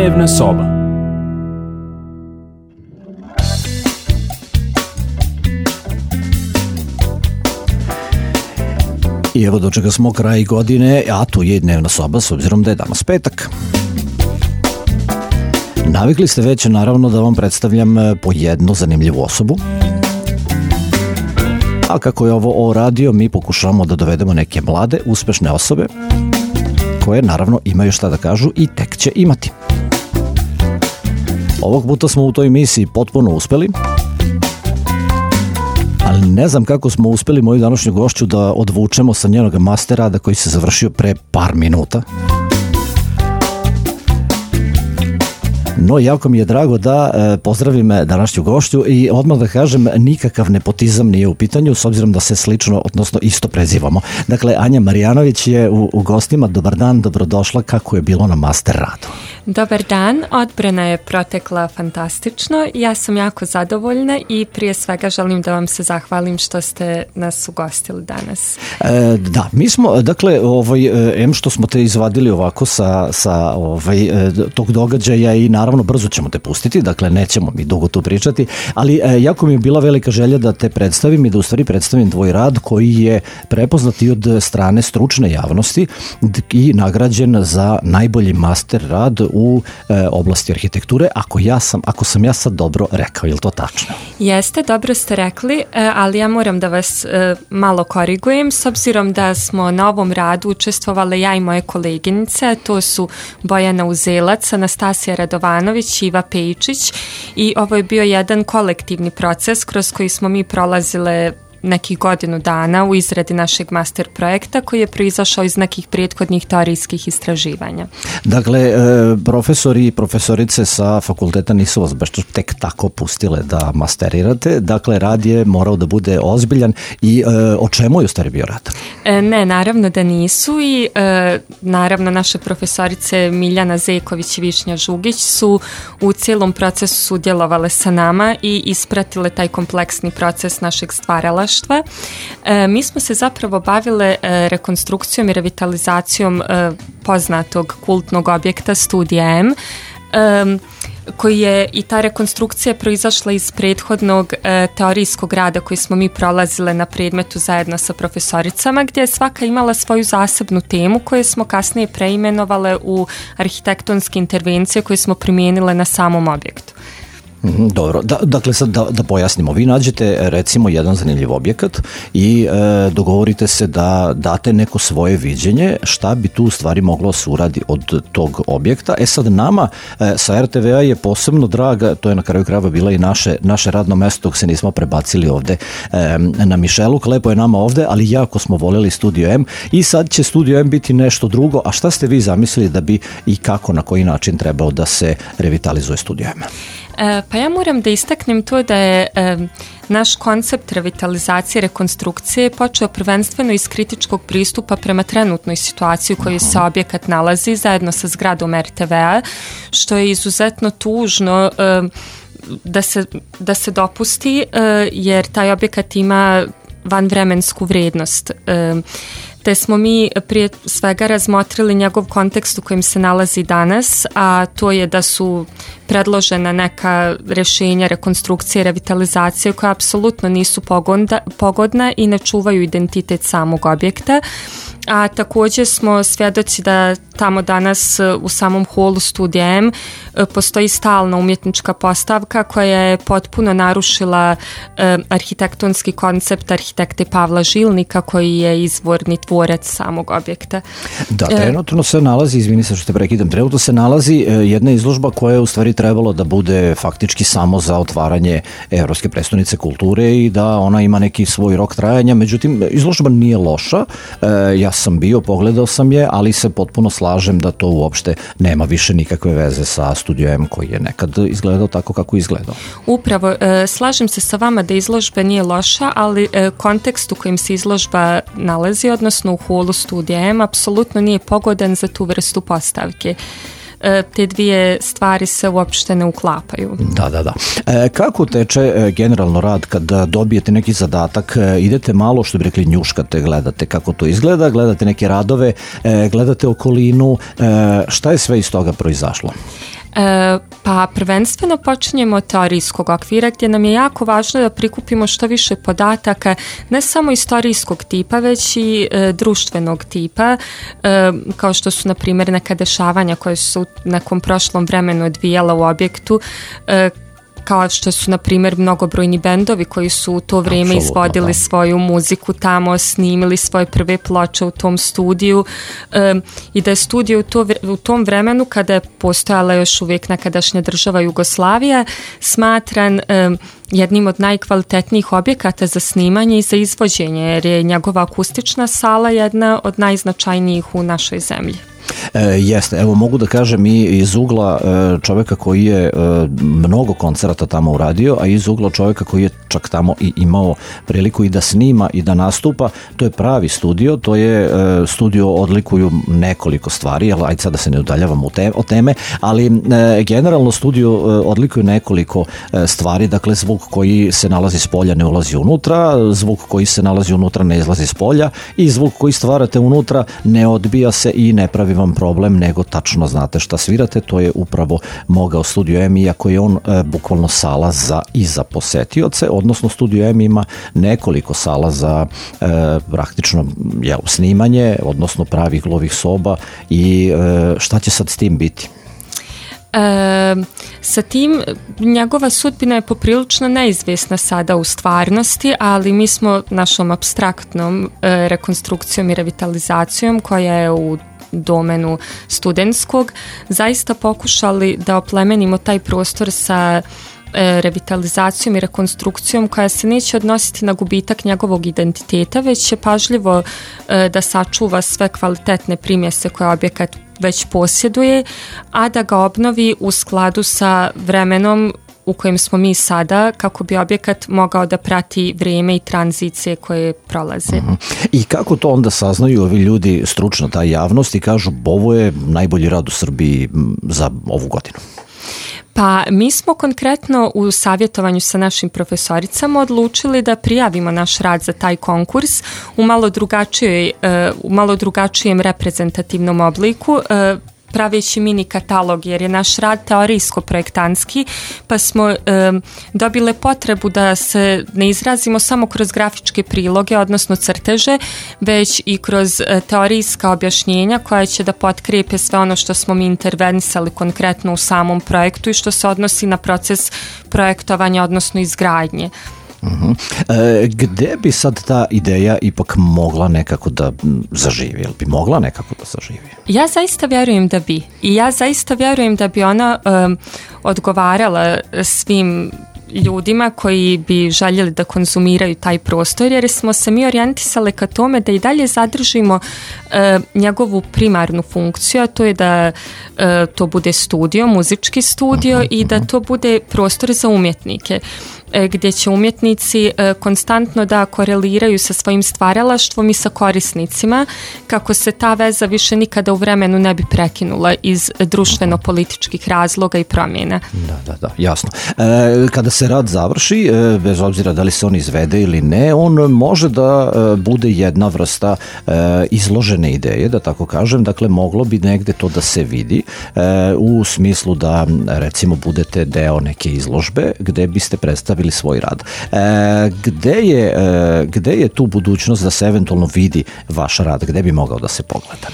Dnevna soba. I evo do čega smo kraj godine, a tu je i dnevna soba s obzirom da je danas petak. Navikli ste već naravno da vam predstavljam po jednu zanimljivu osobu. A kako je ovo radio, mi pokušavamo da dovedemo neke mlade, uspešne osobe koje naravno imaju šta da kažu i tek će imati. Ovog puta smo u toj misiji potpuno uspeli, ali ne znam kako smo uspeli moju današnju gošću da odvučemo sa njenog master rada koji se završio pre par minuta. No, jako mi je drago da pozdravim današnju gošću i odmah da kažem, nikakav nepotizam nije u pitanju, s obzirom da se slično, odnosno isto prezivamo. Dakle, Anja Marjanović je u gostima. Dobar dan, dobrodošla. Kako je bilo na master radu? Dobar dan, odbrana je protekla fantastično. Ja sam jako zadovoljna i prije svega želim da vam se zahvalim što ste nas ugostili danas. Da, mi smo, dakle, što smo te izvadili ovako sa tog događaja i naravno brzo ćemo te pustiti, dakle nećemo mi dugo tu pričati, ali jako mi je bila velika želja da te predstavim i da u stvari predstavim tvoj rad koji je prepoznat i od strane stručne javnosti i nagrađen za najbolji master rad u oblasti arhitekture, ako sam ja sad dobro rekao, je li to tačno? Jeste, dobro ste rekli, ali ja moram da vas malo korigujem, s obzirom da smo na ovom radu učestvovale ja i moje koleginice, to su Bojana Uzelac, Anastasija Radovanović, Iva Pejčić, i ovo je bio jedan kolektivni proces kroz koji smo mi prolazile nekih godinu dana u izradi našeg master projekta koji je proizašao iz nekih prethodnih teorijskih istraživanja. Dakle, profesori i profesorice sa fakulteta nisu vas baš tek tako pustile da masterirate, dakle rad je morao da bude ozbiljan i o čemu je u stvari bio rad? Ne, naravno da nisu i naravno naše profesorice Miljana Zeković i Višnja Žugić su u cijelom procesu sudjelovale sa nama i ispratile taj kompleksni proces našeg stvaralaštva. Mi smo se zapravo bavile rekonstrukcijom i revitalizacijom poznatog kultnog objekta Studija M, koji je i ta rekonstrukcija proizašla iz prethodnog teorijskog rada koji smo mi prolazile na predmetu zajedno sa profesoricama, gdje je svaka imala svoju zasebnu temu koju smo kasnije preimenovale u arhitektonske intervencije koje smo primijenile na samom objektu. Dobro, dakle sad da pojasnimo, vi nađete recimo jedan zanimljiv objekat i dogovorite se da date neko svoje viđenje šta bi tu u stvari moglo se uradi od tog objekta. Sad nama sa RTV-a je posebno draga, to je na kraju krajeva bila i naše radno mesto dok se nismo prebacili ovde na Mišeluk, lepo je nama ovde, ali jako smo voljeli Studio M i sad će Studio M biti nešto drugo. A šta ste vi zamislili da bi i kako, na koji način trebao da se revitalizuje Studio M? Pa ja moram da istaknem to da je naš koncept revitalizacije, rekonstrukcije počeo prvenstveno iz kritičkog pristupa prema trenutnoj situaciji u kojoj se objekat nalazi zajedno sa zgradom RTV-a, što je izuzetno tužno da se dopusti, jer taj objekat ima vanvremensku vrijednost. Te smo mi prije svega razmotrili njegov kontekst u kojem se nalazi danas, a to je da su predložena neka rješenja rekonstrukcije i revitalizacije koja apsolutno nisu pogodna i ne čuvaju identitet samog objekta. A također smo svjedoci da tamo danas u samom holu Studija M postoji stalna umjetnička postavka koja je potpuno narušila arhitektonski koncept arhitekte Pavla Žilnika koji je izvorni tvorac samog objekta. Da, trenutno se nalazi, izvini se što te prekidam, trenutno se nalazi jedna izložba koja je u stvari trebalo da bude faktički samo za otvaranje Evropske prestonice kulture i da ona ima neki svoj rok trajanja, međutim izložba nije loša, ja sam bio, pogledao sam je, ali se potpuno slažem da to uopšte nema više nikakve veze sa Studio M koji je nekad izgledao tako kako je izgledao. Upravo, slažem se sa vama da izložba nije loša, ali kontekst u kojem se izložba nalazi, odnosno u holu Studija M, apsolutno nije pogodan za tu vrstu postavke. Te dvije stvari se uopšte ne uklapaju. Da. Kako teče generalno rad kad dobijete neki zadatak, idete malo, što bi rekli, njuškate, gledate kako to izgleda, gledate neke radove, gledate okolinu, šta je sve iz toga proizašlo? Pa prvenstveno počinjemo od teorijskog okvira gdje nam je jako važno da prikupimo što više podataka, ne samo istorijskog tipa, već i društvenog tipa, kao što su, na primjer, neka dešavanja koje su u nekom prošlom vremenu odvijala u objektu, kao što su, na primjer, mnogobrojni bendovi koji su u to vrijeme izvodili svoju muziku tamo, snimili svoje prve ploče u tom studiju, i da je studio u tom vremenu, kada je postojala još uvijek nekadašnja država Jugoslavija, smatran jednim od najkvalitetnijih objekata za snimanje i za izvođenje, jer je njegova akustična sala jedna od najznačajnijih u našoj zemlji. Jeste, evo mogu da kažem i iz ugla čovjeka koji je mnogo koncerata tamo uradio, a iz ugla čovjeka koji je čak tamo i imao priliku i da snima i da nastupa, to je pravi studio, to je studio, odlikuju nekoliko stvari, ali ajde sad da se ne udaljavamo od teme, ali generalno studio odlikuju nekoliko stvari, dakle zvuk koji se nalazi s polja ne ulazi unutra, zvuk koji se nalazi unutra ne izlazi s polja i zvuk koji stvarate unutra ne odbija se i ne pravi vam problem, nego tačno znate šta svirate. To je upravo mogao Studio M, iako je on bukvalno sala i za posetioce, odnosno Studio M ima nekoliko sala za praktično snimanje, odnosno pravih glovih soba. I šta će sad s tim biti? Sa tim njegova sudbina je poprilično neizvjesna sada u stvarnosti, ali mi smo našom apstraktnom rekonstrukcijom i revitalizacijom koja je u domenu studentskog zaista pokušali da oplemenimo taj prostor sa revitalizacijom i rekonstrukcijom koja se neće odnositi na gubitak njegovog identiteta, već će pažljivo da sačuva sve kvalitetne primjese koje objekat već posjeduje, a da ga obnovi u skladu sa vremenom u kojem smo mi sada, kako bi objekat mogao da prati vrijeme i tranzicije koje prolaze. I kako to onda saznaju ovi ljudi, stručna ta javnost, i kažu ovo je najbolji rad u Srbiji za ovu godinu? Pa mi smo konkretno u savjetovanju sa našim profesoricama odlučili da prijavimo naš rad za taj konkurs u malo drugačijem reprezentativnom obliku, praveći mini katalog, jer je naš rad teorijsko-projektantski, pa smo dobile potrebu da se ne izrazimo samo kroz grafičke priloge, odnosno crteže, već i kroz teorijska objašnjenja koja će da potkrijepe sve ono što smo mi intervenisali konkretno u samom projektu i što se odnosi na proces projektovanja, odnosno izgradnje. Gde bi sad ta ideja ipak mogla nekako da zaživi? Jel bi mogla nekako da zaživi? Ja zaista vjerujem da bi. I ja zaista vjerujem da bi ona odgovarala svim ljudima koji bi željeli da konzumiraju taj prostor, jer smo se mi orijentisali ka tome da i dalje zadržimo njegovu primarnu funkciju, a to je da to bude studio, muzički studio, i da to bude prostor za umjetnike, gdje će umjetnici konstantno da koreliraju sa svojim stvaralaštvom i sa korisnicima, kako se ta veza više nikada u vremenu ne bi prekinula iz društveno-političkih razloga i promjena. Da, jasno. Kada se rad završi, bez obzira da li se on izvede ili ne, on može da bude jedna vrsta izložene ideje, da tako kažem, dakle moglo bi negde to da se vidi, u smislu da recimo budete deo neke izložbe gde biste predstavili svoj rad. Gde je tu budućnost da se eventualno vidi vaš rad? Gde bi mogao da se pogleda?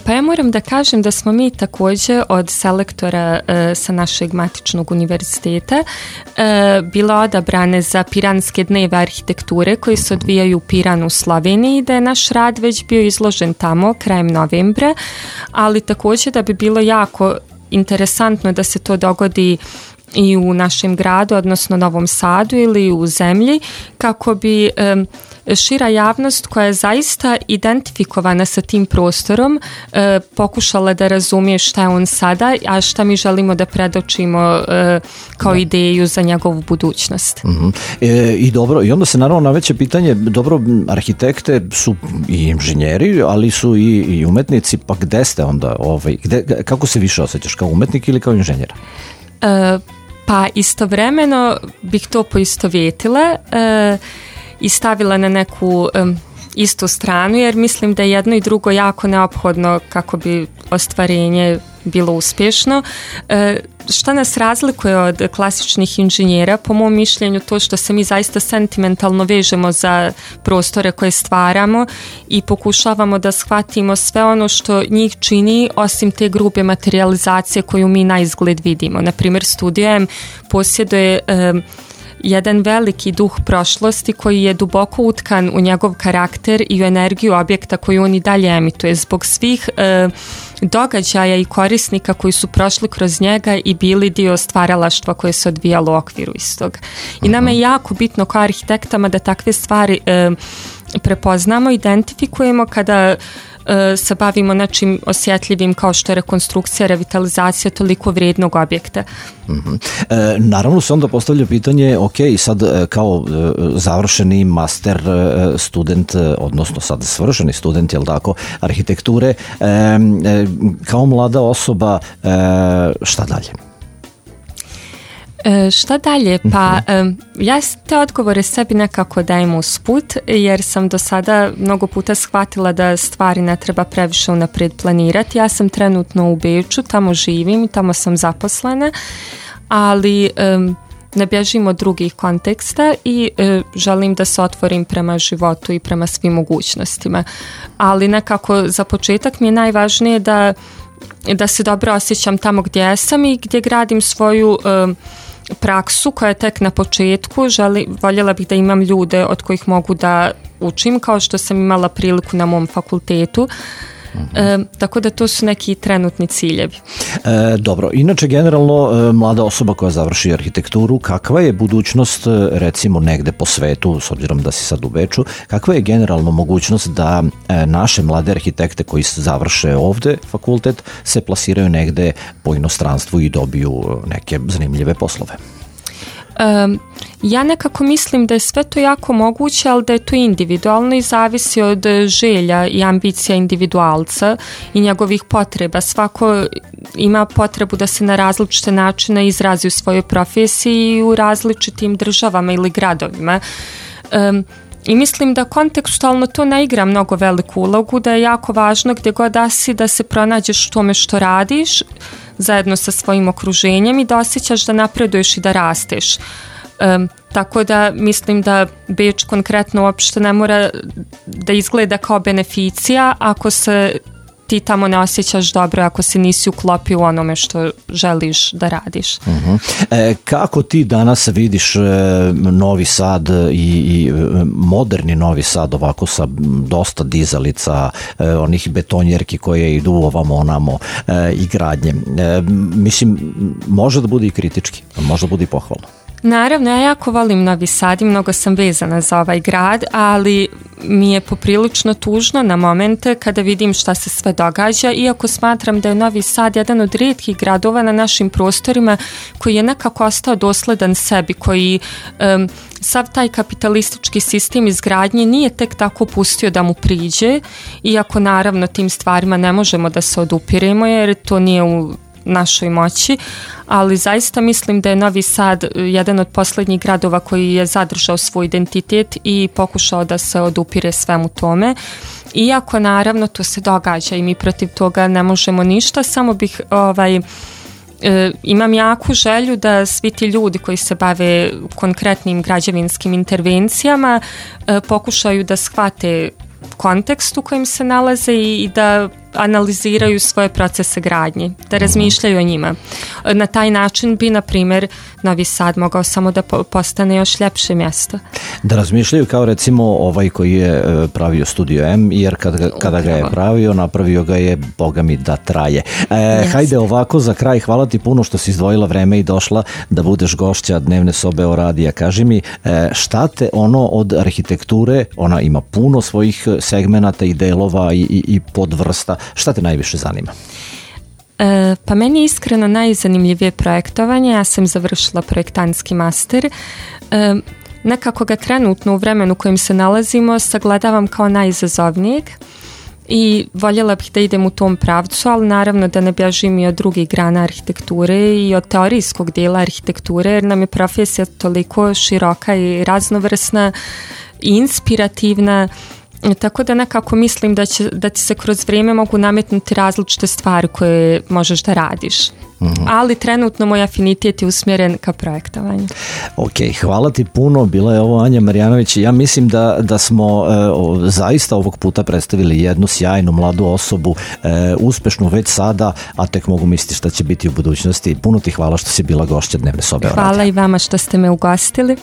Pa ja moram da kažem da smo mi također od selektora sa našeg matičnog univerziteta bila odabrane za Piranske dneve arhitekture koji se odvijaju u Piranu u Sloveniji, da je naš rad već bio izložen tamo krajem novembra, ali također da bi bilo jako interesantno da se to dogodi i u našem gradu, odnosno Novom Sadu ili u zemlji, kako bi šira javnost koja je zaista identifikovana sa tim prostorom pokušala da razumije šta je on sada, a šta mi želimo da predočimo kao ideju za njegovu budućnost. I dobro, i onda se naravno naveće pitanje, dobro, arhitekte su i inženjeri, ali su i umetnici, pa gde ste onda? Kako se više osjećaš, kao umetnik ili kao inženjer? Pa istovremeno bih to poistovjetila i stavila na neku istu stranu, jer mislim da je jedno i drugo jako neophodno kako bi ostvarenje bilo uspješno. Šta nas razlikuje od klasičnih inženjera? Po mom mišljenju to što se mi zaista sentimentalno vežemo za prostore koje stvaramo i pokušavamo da shvatimo sve ono što njih čini osim te grube materijalizacije koju mi na izgled vidimo. Naprimjer, Studio M posjeduje jedan veliki duh prošlosti koji je duboko utkan u njegov karakter i u energiju objekta koju on i dalje emituje zbog svih događaja i korisnika koji su prošli kroz njega i bili dio stvaralaštva koje se odvijalo u okviru istog. I nama je jako bitno kao arhitektama da takve stvari prepoznamo, identifikujemo kada se bavimo nečim osjetljivim kao što je rekonstrukcija, revitalizacija toliko vrijednog objekta. Naravno se onda postavlja pitanje, ok, sad kao završeni master student, odnosno sad svršeni student, jel tako, arhitekture, kao mlada osoba, šta dalje? Šta dalje? Pa ja te odgovore sebi nekako dajem usput, jer sam do sada mnogo puta shvatila da stvari ne treba previše unaprijed planirati. Ja sam trenutno u Beču, tamo živim, tamo sam zaposlena, ali ne bježim od drugih konteksta i želim da se otvorim prema životu i prema svim mogućnostima. Ali nekako za početak mi je najvažnije da se dobro osjećam tamo gdje sam i gdje gradim svoju praksu koja je tek na početku. Voljela bih da imam ljude od kojih mogu da učim, kao što sam imala priliku na mom fakultetu. Tako da to su neki trenutni ciljevi. Dobro, inače generalno mlada osoba koja završi arhitekturu, kakva je budućnost recimo negde po svetu, s obzirom da si sad u Beču, kakva je generalno mogućnost da naše mlade arhitekte koji završe ovde fakultet se plasiraju negde po inostranstvu i dobiju neke zanimljive poslove? Ja nekako mislim da je sve to jako moguće, ali da je to individualno i zavisi od želja i ambicija individualca i njegovih potreba. Svako ima potrebu da se na različite načine izrazi u svojoj profesiji i u različitim državama ili gradovima. I mislim da kontekstualno to ne igra mnogo veliku ulogu, da je jako važno gdje god da si da se pronađeš u tome što radiš zajedno sa svojim okruženjem i da osjećaš da napreduješ i da rasteš. Tako da mislim da Beč konkretno uopšte ne mora da izgleda kao beneficija ako se ti tamo ne osjećaš dobro, ako se nisi uklopio u onome što želiš da radiš. Kako ti danas vidiš Novi Sad i moderni Novi Sad ovako sa dosta dizalica, onih betonjerki koje idu ovamo onamo i gradnje? Mislim, može da bude i kritički, može da bude i pohvalno. Naravno, ja jako volim Novi Sad i mnogo sam vezana za ovaj grad, ali mi je poprilično tužno na momente kada vidim šta se sve događa, iako smatram da je Novi Sad jedan od rijetkih gradova na našim prostorima koji je nekako ostao dosledan sebi, koji sav taj kapitalistički sistem izgradnje nije tek tako pustio da mu priđe, iako naravno tim stvarima ne možemo da se odupiremo jer to nije u našoj moći, ali zaista mislim da je Novi Sad jedan od posljednjih gradova koji je zadržao svoj identitet i pokušao da se odupire svemu tome. Iako naravno to se događa i mi protiv toga ne možemo ništa, samo bih imam jaku želju da svi ti ljudi koji se bave konkretnim građevinskim intervencijama pokušaju da shvate kontekst u kojem se nalaze i da analiziraju svoje procese gradnje, da razmišljaju o njima. Na taj način bi, na primjer, Novi Sad mogao samo da postane još ljepše mjesto. Da razmišljaju kao recimo ovaj koji je pravio Studio M, jer kada ga je pravio, napravio ga je, boga mi, da traje. Hajde ovako, za kraj, hvala ti puno što si izdvojila vreme i došla da budeš gošća Dnevne sobe o radija. Kaži mi, šta te ono od arhitekture, ona ima puno svojih segmenata i delova i podvrsta, šta te najviše zanima? Pa meni je iskreno najzanimljivije projektovanje. Ja sam završila projektantski master. Nekako ga trenutno u vremenu u kojem se nalazimo sagledavam kao najizazovnijeg i voljela bih da idem u tom pravcu, ali naravno da ne bježim i od drugih grana arhitekture i od teorijskog dijela arhitekture, jer nam je profesija toliko široka i raznovrsna i inspirativna Tako da nekako mislim da ti se kroz vrijeme mogu nametnuti različite stvari koje možeš da radiš. Ali trenutno moj afinitet je usmjeren ka projektovanju. Ok, hvala ti puno, bila je ovo Anja Marjanović. Ja mislim da smo zaista ovog puta predstavili jednu sjajnu mladu osobu, uspešnu već sada, a tek mogu misliti šta će biti u budućnosti. Puno ti hvala što si bila gošća Dnevne sobe. Hvala i vama što ste me ugostili.